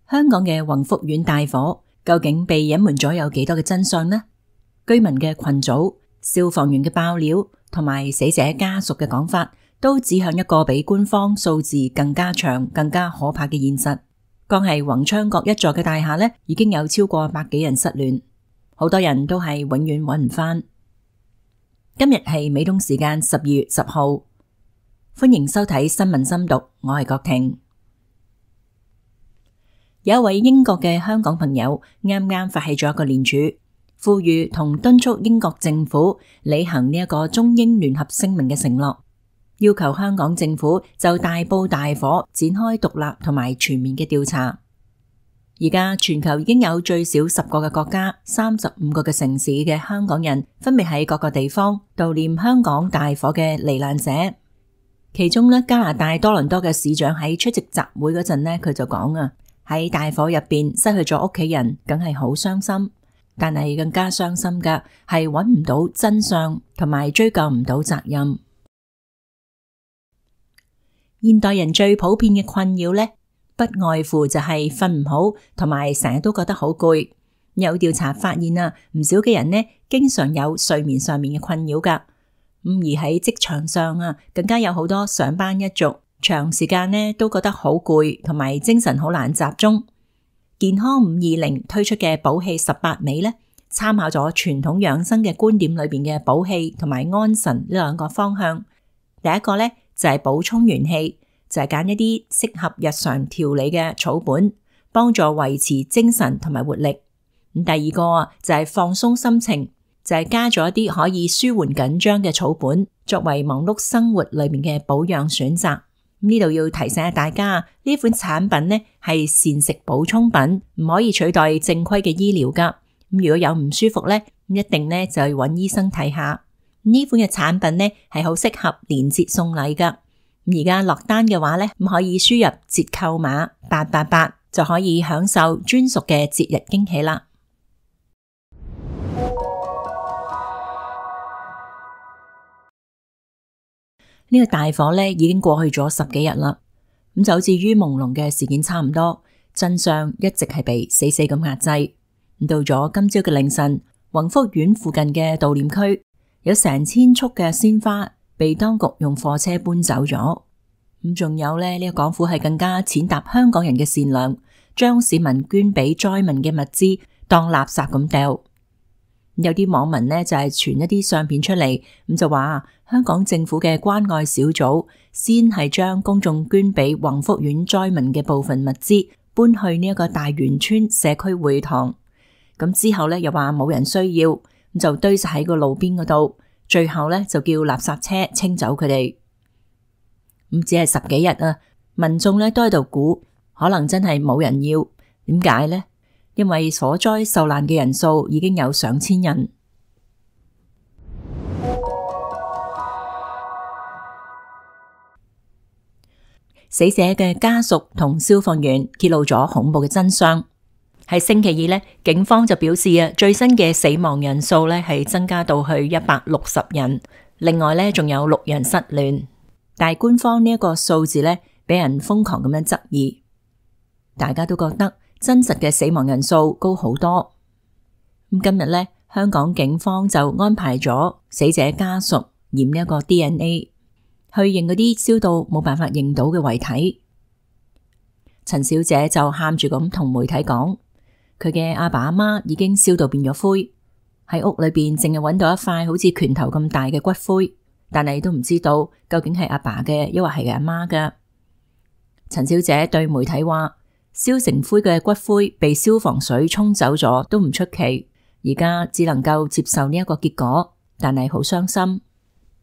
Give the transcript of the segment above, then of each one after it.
香港嘅宏福苑大火究竟被隱瞞咗有幾多嘅真相呢？居民嘅群組、消防員嘅爆料同埋死者家屬嘅講法，都指向一個比官方數字更加長、更加可怕嘅現實。光係宏昌閣一座嘅大廈呢，已經有超過100幾人失聯，好多人都係永遠揾唔返。今日係美東時間12月10號，歡迎收睇新聞深讀，我係郭婷。有一位英國嘅香港朋友啱啱發起咗一個聯署，呼籲同敦促英國政府履行呢一個中英聯合聲明嘅承諾，要求香港政府就大埔大火展開獨立同埋全面嘅調查。而家全球已經有最少10個嘅國家、35個嘅城市嘅香港人，分別喺各個地方悼念香港大火嘅罹難者。其中呢，加拿大多倫多嘅市長喺出席集會嗰陣呢，佢就講啊，喺大火入邊失去咗屋企人，梗係好傷心。但係更加傷心嘅係揾唔到真相，同埋追究唔到責任。現代人最普遍嘅困擾呢，不外乎就係瞓唔好，同埋成日都覺得好攰。有調查發現啊，唔少嘅人呢，經常有睡眠上面嘅困擾噶。而喺職場上啊，更加有好多上班一族，長時間呢都覺得好攰，同埋精神好難集中。健康520推出嘅補氣18味呢，參考咗傳統養生嘅觀點裏邊嘅補氣同埋安神呢兩個方向。第一個呢，就係補充元氣，就係揀一啲適合日常調理嘅草本，幫助維持精神同埋活力。咁第二個就係放鬆心情，就係加咗一啲可以舒緩緊張嘅草本，作為忙碌生活裏面嘅保養選擇。呢度要提醒下大家，呢款產品呢係膳食補充品，唔可以取代正規嘅醫療噶。如果有唔舒服呢，一定呢就要揾醫生睇下。呢款嘅產品呢係好適合連節送禮噶。而家落單嘅話呢，可以輸入折扣碼888，就可以享受專屬嘅節日驚喜啦。呢個大火呢已經過去咗10幾日啦，咁就好似於朦朧嘅事件差唔多，真相一直係被死死咁壓制。到咗今朝嘅凌晨，宏福苑附近嘅悼念區有成千束嘅鮮花被當局用貨車搬走咗。咁仲有呢個港府係更加踐踏香港人嘅善良，將市民捐俾災民嘅物資當垃圾咁掉。有啲網民呢就係傳一啲相片出嚟，咁就話香港政府嘅關愛小組先係將公眾捐俾宏福苑災民嘅部分物資搬去呢一個大元村社區會堂，咁之後呢又話冇人需要，咁就堆晒喺個路邊嗰度，最後呢就叫垃圾車清走佢哋。咁只係10幾日啊，民眾呢都喺度估，可能真係冇人要。點解呢？因為火災受難嘅人數已經有上千人。死者嘅家屬同消防員揭露咗恐怖嘅真相。喺星期二呢，警方就表示啊，最新嘅死亡人數呢係增加到去160人，另外呢仲有6人失聯。但係官方呢一個數字呢，俾人瘋狂咁樣質疑，大家都覺得真實嘅死亡人數高好多。咁今日呢，香港警方就安排咗死者家屬驗一個 DNA， 去認嗰啲燒到冇辦法認到嘅遺體。陳小姐就喊住咁同媒體講，佢嘅阿爸阿媽已經燒到變咗灰，喺屋裏邊淨係揾到一塊好似拳頭咁大嘅骨灰，但係都唔知道究竟係阿爸嘅，抑或係阿媽嘅。陳小姐對媒體話，燒成灰嘅骨灰被消防水沖走咗都唔出奇，而家只能夠接受呢一個結果，但係好傷心。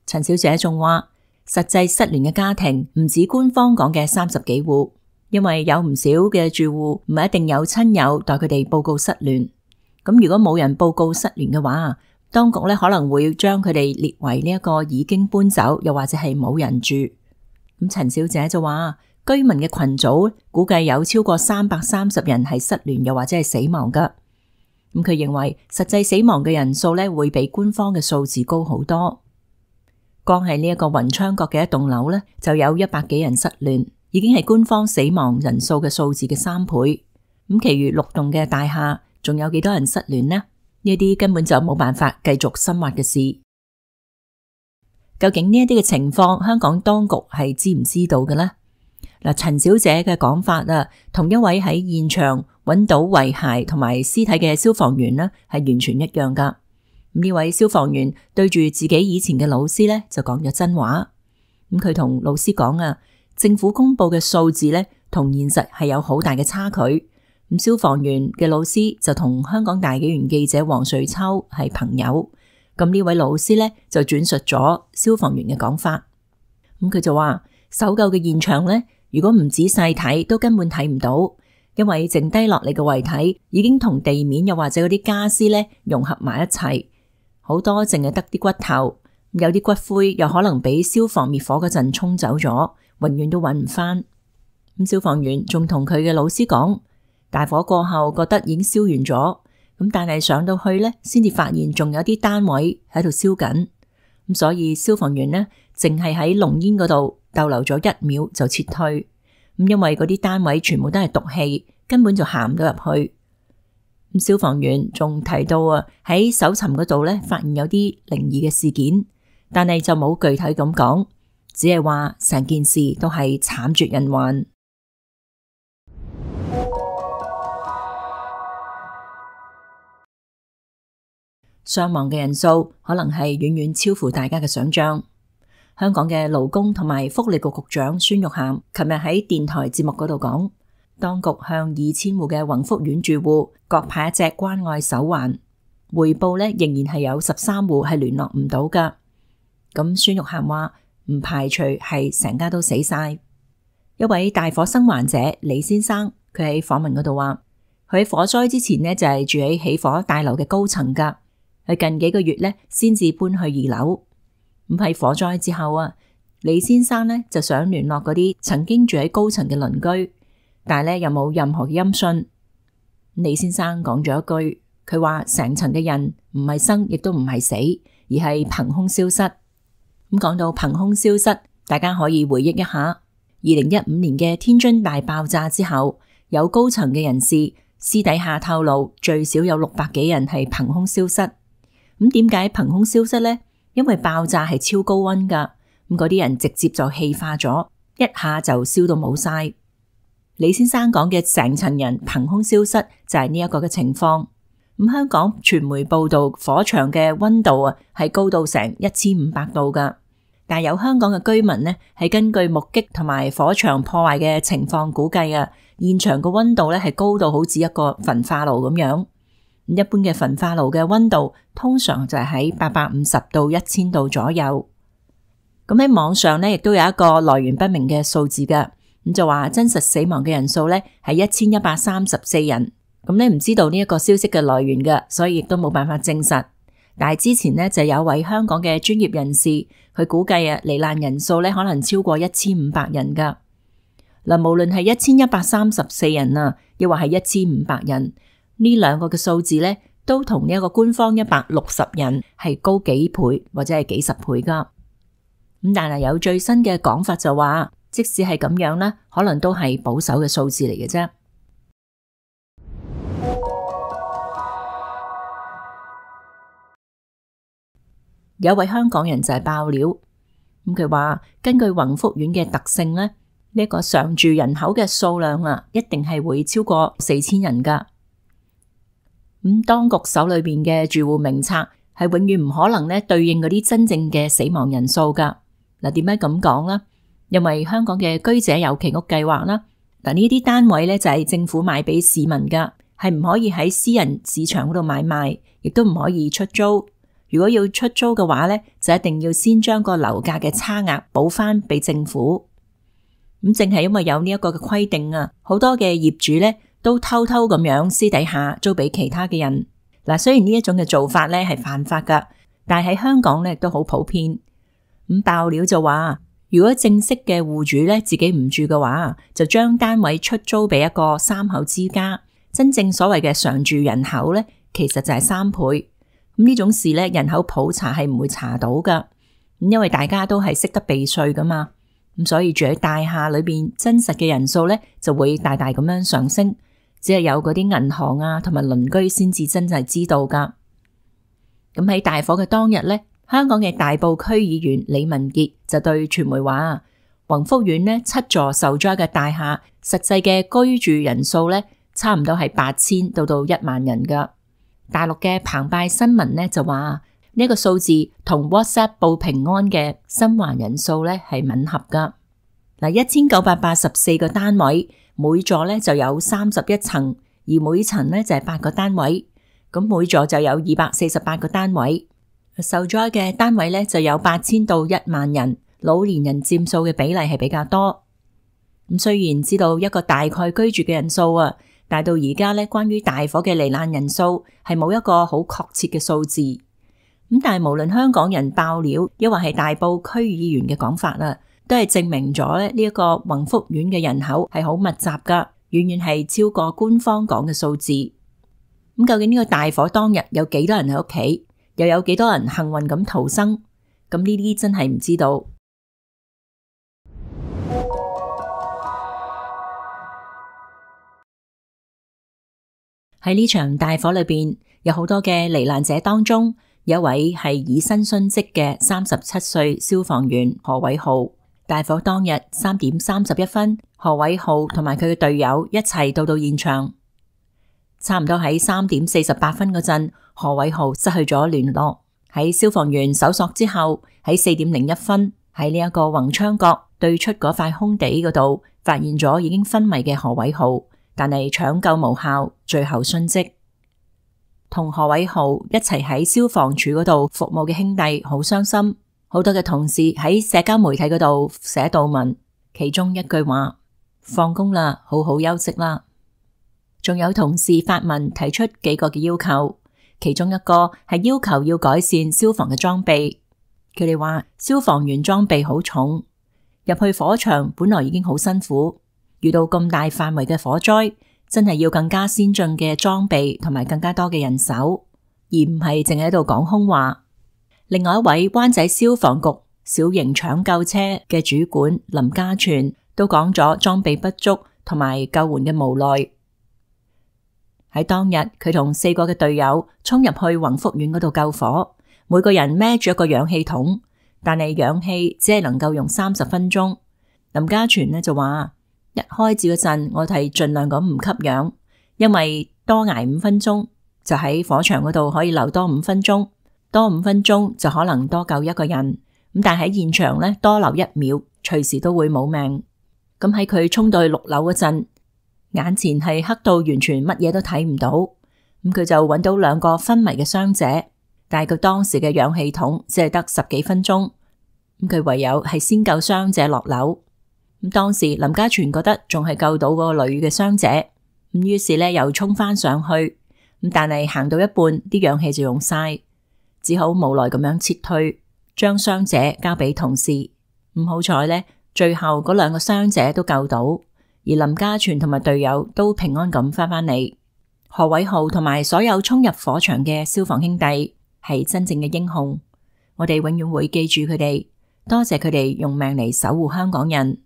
陳小姐仲話，實際失聯嘅家庭唔止官方講嘅30幾戶，因為有唔少嘅住戶唔係一定有親友代佢哋報告失聯。咁如果冇人報告失聯嘅話，當局可能會將佢哋列為呢一個已經搬走，又或者係冇人住。咁陳小姐就話，居民嘅群組估計有超過330人係失聯又或者係死亡噶。咁佢認為實際死亡嘅人數會比官方嘅數字高好多。光係呢一個宏昌閣嘅一棟樓就有100幾人失聯，已經係官方死亡人數嘅數字嘅3倍。咁其餘6棟嘅大廈仲有幾多人失聯呢？呢啲根本就冇辦法繼續深挖嘅事。究竟呢一啲嘅情況，香港當局係知唔知道嘅呢？嗱，陳小姐嘅講法啊，同一位喺現場揾到遺骸同埋屍體嘅消防員呢，係完全一樣噶。呢位消防員對住自己以前嘅老師呢，就講咗真話。咁佢同老師講啊，政府公布嘅數字呢，同現實係有好大嘅差距。咁消防員嘅老師就同香港大紀元記者黃瑞秋係朋友。咁呢位老師呢，就轉述咗消防員嘅講法。咁佢就話，搜救嘅現場呢，如果唔仔細睇，都根本睇唔到，因為剩低落嚟嘅遺體已經同地面又或者嗰啲家私呢融合埋一齊，好多淨係得啲骨頭，有啲骨灰又可能俾消防滅火嗰陣沖走咗，永遠都揾唔翻。咁消防員仲同佢嘅老師講，大火過後覺得已經燒完咗，咁但係上到去呢，先至發現仲有啲單位喺度燒緊，咁所以消防員呢，淨係喺濃煙嗰度逗留咗1秒就撤退，咁因為嗰啲單位全部都係毒氣，根本就行唔到入去。咁消防員仲提到啊，喺搜尋嗰度呢，發現有啲靈異嘅事件，但係就冇具體咁講，只係話成件事都係慘絕人寰。傷亡嘅人數可能係遠遠超乎大家嘅想象。香港嘅勞工同埋福利局局長孫玉菡琴日喺電台節目嗰度講，當局向2000戶嘅宏福苑住戶各派一隻關愛手環，回報呢仍然係有13戶係聯絡唔到噶。咁孫玉菡話唔排除係成家都死晒。一位大火生還者李先生，佢喺訪問嗰度話，佢喺火災之前呢就係住喺起火大樓嘅高層噶。佢近幾個月呢先至搬去2樓。咁喺火災之後啊，李先生呢就想聯絡嗰啲曾經住喺高層嘅鄰居，但係呢又冇任何嘅音訊。李先生講咗一句，佢話成層嘅人唔係生亦都唔係死，而係憑空消失。咁講到憑空消失，大家可以回憶一下2015年嘅天津大爆炸之後，有高層嘅人士私底下透露，最少有600幾人係憑空消失。咁點解憑空消失呢？因為爆炸係超高溫噶，咁嗰啲人直接就氣化咗，一下就燒到冇晒。李先生講嘅成層人憑空消失就係呢一個嘅情況。咁香港傳媒報道火場嘅溫度啊係高到成1500度噶，但係有香港嘅居民呢係根據目擊同埋火場破壞嘅情況估計啊，現場嘅溫度呢係高到好似一個焚化爐咁樣。一般嘅焚化爐嘅溫度通常就係喺850到1000度左右。咁喺網上呢亦都有一個來源不明嘅數字噶，咁就話真實死亡嘅人數呢係1134人。咁你唔知道呢一個消息嘅來源噶，所以亦都冇辦法證實。但係之前呢就有位香港嘅專業人士，佢估計啊罹難人數呢可能超過1500人噶。嗱，無論係1134人啊，亦或係1500人。呢兩個嘅數字呢，都同呢一個官方160人係高幾倍或者係幾十倍噶。咁但係有最新嘅講法就話，即使係咁樣呢，可能都係保守嘅數字嚟嘅啫。有一位香港人就係爆料，咁佢話根據宏福苑嘅特性呢，呢一個常住人口嘅數量啊，一定係會超過4000人噶。咁當局手裏邊嘅住戶名冊係永遠唔可能咧對應嗰啲真正嘅死亡人數噶。嗱，點解咁講呢？因為香港嘅居者有其屋計劃啦，嗱呢啲單位咧就係政府賣俾市民噶，係唔可以喺私人市場嗰度買賣，亦都唔可以出租。如果要出租嘅話咧，就一定要先將個樓價嘅差額補翻俾政府。咁正係因為有呢一個嘅規定啊，好多嘅業主咧都偷偷咁樣私底下租俾其他嘅人。嗱，雖然呢一種嘅做法咧係犯法噶，但係喺香港咧都好普遍。咁爆料就話，如果正式嘅戶主咧自己唔住嘅話，就將單位出租俾一個3口之家。真正所謂嘅常住人口咧，其實就係3倍。咁呢種事咧，人口普查係唔會查到噶。咁因為大家都係識得避稅噶嘛，咁所以住喺大廈裏邊真實嘅人數咧就會大大咁樣上升。只係有嗰啲銀行啊同埋鄰居先至真係知道噶。咁喺大火嘅當日呢，香港嘅大埔區議員李文傑就對傳媒話，宏福苑呢7座受災嘅大廈實際嘅居住人數呢，差唔多係8000到1萬人噶。大陸嘅澎湃新聞呢就話呢個數字同 WhatsApp 報平安嘅生還人數呢係吻合噶。1984個單位，每座呢就有31層，而每層呢就係8個單位，咁每座就有248個單位。受災嘅單位呢就有8000到1萬人，老年人佔數嘅比例係比較多。咁雖然知道一個大概居住嘅人數啊，但到而家呢，關於大火嘅罹難人數係冇一個好確切嘅數字。咁但係無論香港人爆料，抑或係大埔區議員嘅講法啊，都係證明咗呢一個宏福苑嘅人口係好密集噶，遠遠係超過官方講嘅數字。咁究竟呢個大火當日有幾多人喺屋企，又有幾多人幸運咁逃生？咁呢啲真係唔知道。喺呢場大火裏邊，有好多嘅罹難者當中，有一位係以身殉職嘅37歲消防員何偉浩。大火當日3點31分，何偉浩同埋佢嘅隊友一齊到現場。差唔多喺3點48分嗰陣，何偉浩失去咗聯絡。喺消防員搜索之後，喺4點01分喺呢一個宏昌閣對出嗰塊空地嗰度，發現咗已經昏迷嘅何偉浩，但係搶救無效，最後殉職。同何偉浩一齊喺消防處嗰度服務嘅兄弟好傷心。好多嘅同事喺社交媒體嗰度寫悼文，其中一句話：放工啦，好好休息啦。仲有同事發文提出幾個嘅要求，其中一個係要求要改善消防嘅裝備。佢哋話消防員裝備好重，入去火場本來已經好辛苦，遇到咁大範圍嘅火災，真係要更加先進嘅裝備同埋更加多嘅人手，而唔係淨喺度講空話。另外一位灣仔消防局小型搶救車嘅主管林家全都講咗裝備不足同埋救援嘅無奈。喺當日，佢同4個嘅隊友衝入去宏福苑嗰度救火，每個人孭住一個氧氣筒，但係氧氣只係能夠用30分鐘。林家全呢就話：一開始嗰陣，我哋盡量咁唔吸氧，因為多挨5分鐘，就喺火場嗰度可以留多5分鐘。多5分鐘就可能多救一個人，咁但係喺現場呢，多留1秒，隨時都會冇命。咁喺佢衝到去6樓嗰陣，眼前係黑到完全乜嘢都睇唔到，咁佢就揾到2個昏迷嘅傷者，但係佢當時嘅氧氣筒只係得10幾分鐘，咁佢唯有係先救傷者落樓。咁當時林家全覺得仲係救到嗰個女嘅傷者，咁於是呢又衝翻上去，咁但係行到一半啲氧氣就用晒。只好無奈咁樣撤退，將傷者交俾同事。唔好彩呢，最後嗰2個傷者都救到，而林家全同埋隊友都平安咁翻返嚟。何偉浩同埋所有衝入火場嘅消防兄弟係真正嘅英雄，我哋永遠會記住佢哋，多謝佢哋用命嚟守護香港人。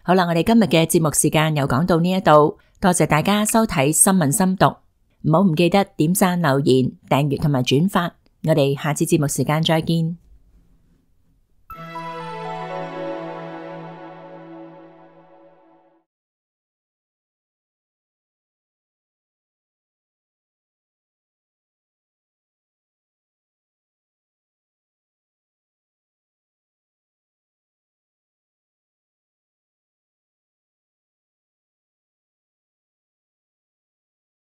好啦，我哋今日嘅節目時間又講到呢一度，多謝大家收睇新聞深讀，唔記得點讚、留言、訂閱同埋轉發，我哋下次節目時間再見。